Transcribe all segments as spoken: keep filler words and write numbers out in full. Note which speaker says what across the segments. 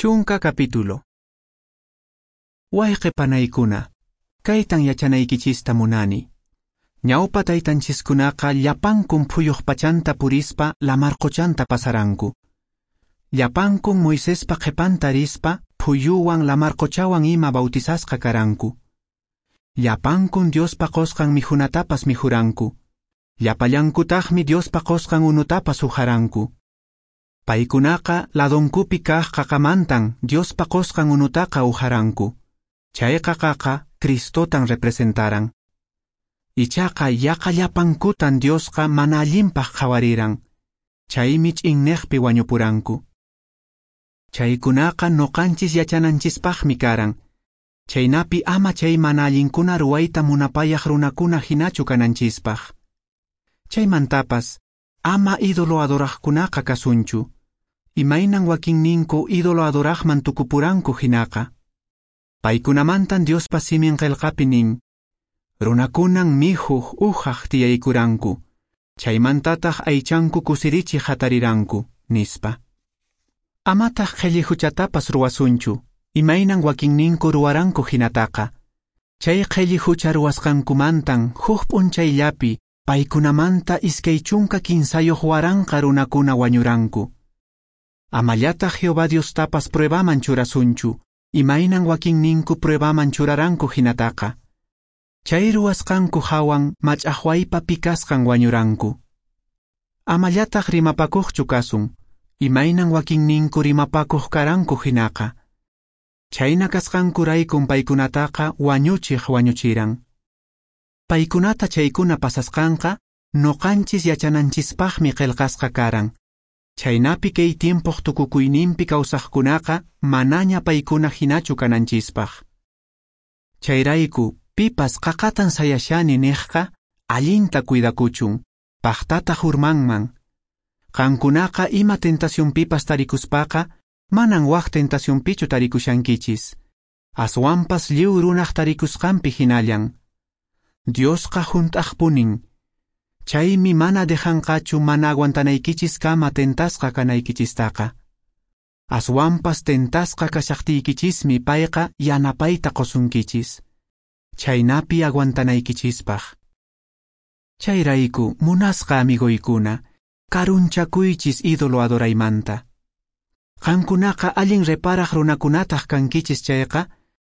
Speaker 1: Chunka capítulo. Wayqe panaykuna, kaytan yachanaykichista munani. Ñawpa taytanchiskunaqa llapankun phuyuq pachanta purispa lamar qochanta pasaranku. Llapankun Moisespa qhepanta rispa phuyuwan lamar qochawan ima bautizasqa karanku. Llapankun Diospa qosqan mikhunatapas mikhuranku. Llapallankutaqmi Diospa qosqan unutapas uharanku. Paykunaqa ladonkupi kaq qaqamantan Diospa qosqan unutaqa uharanku. Chay qaqaqa Cristotan representaran. Ichaqa yaqa llapankutan Diosqa mana allinpaq qhawariran. Chaymi ch'inneqpi wañupuranku. Chaykunaqa noqanchis yachananchispaqmi karan. Chaynapi ama chay mana allinkuna ruwayta munapayaq runakuna hinachu kananchispaq. Chaymantapas ama ídolo adoraqkunaqa kasunchu. Imaynan wakinninku ídolo adoraqman tukupuranku hinaqa. Paykunamantan Diospa simin qillqapi nin: runakunan mihuq uhaq tiyaykuranku, chaymantataq aychanku kusirichiq hatariranku, nispa. Amataq qhelli huchatapas ruwasunchu, imaynan wakinninku ruwaranku hinataqa. Chay qhelli hucha ruwasqankumantan huk p'unchayllapi paykunamanta iskay chunka kinsayuq waranqa runakuna wañuranku. Amallataq Jehová Diostapas pruebaman churasunchu, imaynan wakinninku pruebaman churaranku hinataqa. Chay ruwasqanku hawan mach'aqwaypa pikasqan wañuranku. Amallataq rimapakuqchu kasun, imaynan wakinninku rimapakuq karanku hinaqa. Chayna kasqankuraykum paykunataqa wañuchiq wañuchiran. Paykunata chaykuna pasasqanqa noqanchis yachananchispaqmi qillqasqa karan. Chaynapi kay tiempoq tukukuyninpi kawsaqkunaqa manaña paykuna hinachu kananchispaq. Chayrayku pipas qaqatan sayashani niqqa allinta cuidakuchun, paqtataq urmanman. Qankunaqa ima tentacionpipas tarikuspaqa manan waq tentacionpichu tarikushankichis. Aswanpas lliw runaq tarikusqanpi hinallan. Diosqa hunt'aqpunin. Chaymi mana dejanqachu mana aguantanaykichis kama tentasqa kanaykichistaqa. Aswanpas tentasqa kashaqtiykichismi payqa yanapayta qosunkichis. Chaynapi aguantanaykichispaq. Chayrayku munasqa amigoykuna, karunchakuychis ídolo adoraymanta. Qankunaqa allin reparaq runakunataq kankichis chayqa,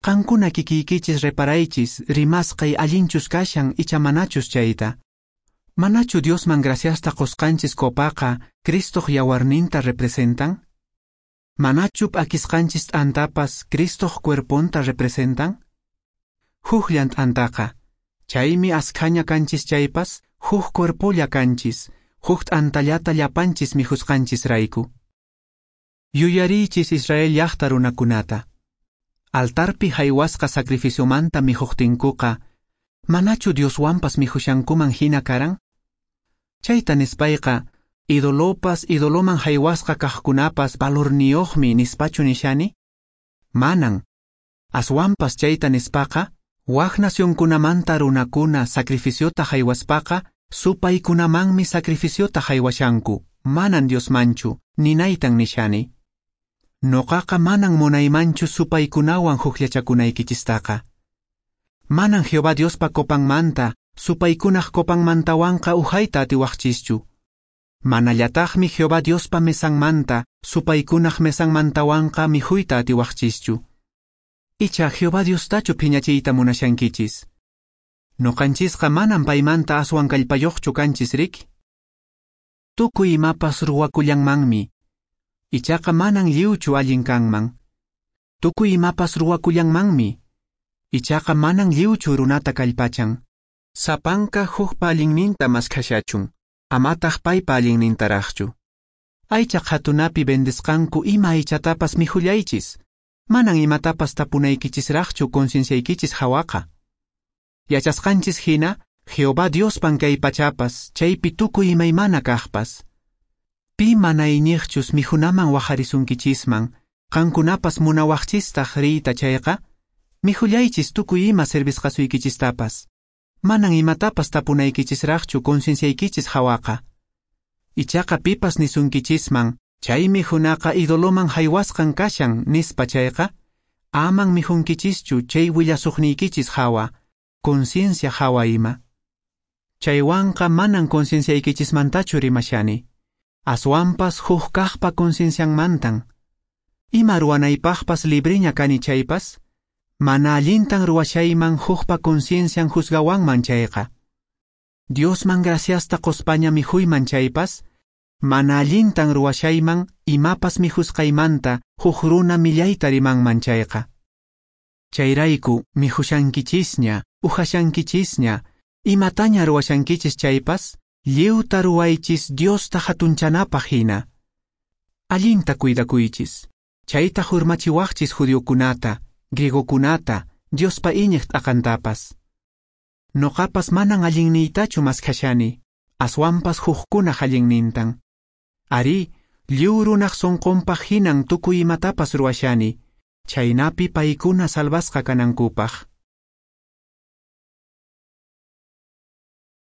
Speaker 1: qankuna kikiykichis reparaychis rimasqay allinchus kashan icha manachus chayta. Manachu Diosman graciasta qosqanchis copaqa Cristoq yawarninta representan? Manachu p'akisqanchis t'antapas Cristoq cuerponta representan? Hukllan t'antaqa, chaymi askhaña kanchis chaypas, huk cuerpolla kanchis, huk t'antallata llapanchis mikhusqanchisrayku. Yuyariychis Israel llaqta runakunata. Altarpi haywasqa sacrificiomanta mikhuqtinkuqa, manachu Dioswanpas mikhushankuman hina karan? Chayta nispayqa, idolopas idoloman haywasqa kaqkunapas valorniyuqmi nispachu nishani? Manan. Aswanpas chayta nispaqa, wak nacionkunamanta runakuna sacrificiota haywaspaqa, supaykunamanmi sacrificiota haywashanku, manan Diosmanchu, ninaytan nishani. Noqaqa manan munaymanchu supaykunawan hukllachakunaykichistaqa. Manan Jehová Diospa copanmanta, supaykunaq copanmantawanqa uhayta atiwaqchischu. Manallataqmi Jehová Diospa mesanmanta, supaykunaq mesanmantawanqa mikhuyta atiwaqchischu. Icha Jehová Diostachu phiñachiyta munashankichis. Noqanchisqa manan paymanta aswan kallpayuqchu kanchis riki. Tukuy imapas ruwakullanmanmi. Ichaqa manan lliwchu allin kanman. Tukuy imapas ruwakullanmanmi. Ichaqa manan lliwchu runata kallpachan. Sapanka hukpa allinninta maskhashachun, amataq paypa allinnintaraqchu. Aycha qhatunapi vendesqanku ima aychatapas mikhullaychis. Manan imatapas tapunaykichisraqchu concienciaykichis hawaqa. Yachasqanchis hina, Jehová Diospan kay pachapas, chaypi tukuy imaymana kaqpas. Pi mana iñiqchus mikhunaman wajarisunkichisman, qankunapas munawaqchistaq riyta chayqa, mikhullaychis tukuy ima servisqasuykichistapas. Manan imatapas tapunaykichisraqchu concienciaykichis hawaqa. Ichaqa pipas nisunkichisman, Chay mijunaqa idoloman haywasqan kashan, nispa chayqa, aman mijunkichischu chay willasuqniykichis hawa, conciencia hawa ima. Chaywanqa manan concienciaykichismantachu rimashani, aswanpas huk kaqpa conciencianmantan. Ima ruwanaypaqpas libreña kani chaypas, mana allintan ruwashayman hukpa conciencian juzgawanman chayqa. Diosman graciasta qospaña mijuyman chaypas, mana allintan ruwashayman imapas mijusqaymanta huk runa millayta rimanman chayqa. Chayrayku mijushankichisña, uhashankichisña, imataña ruwashankichis chaypas, lliwta ruwaychis Diosta hatunchanapaq hina. Allinta cuidakuychis, chayta hurmachiwaqchis judiokunata, griegokunata, Diospa iñiq t'aqantapas. Noqapas manan allinniytachu maskhashani, aswanpas hukkunaq allinnintan. Arí, lliw runaq sunqunpaq hinan tukuy imatapas ruwashani, chhaynapi paykuna salvasqa kanankupaq.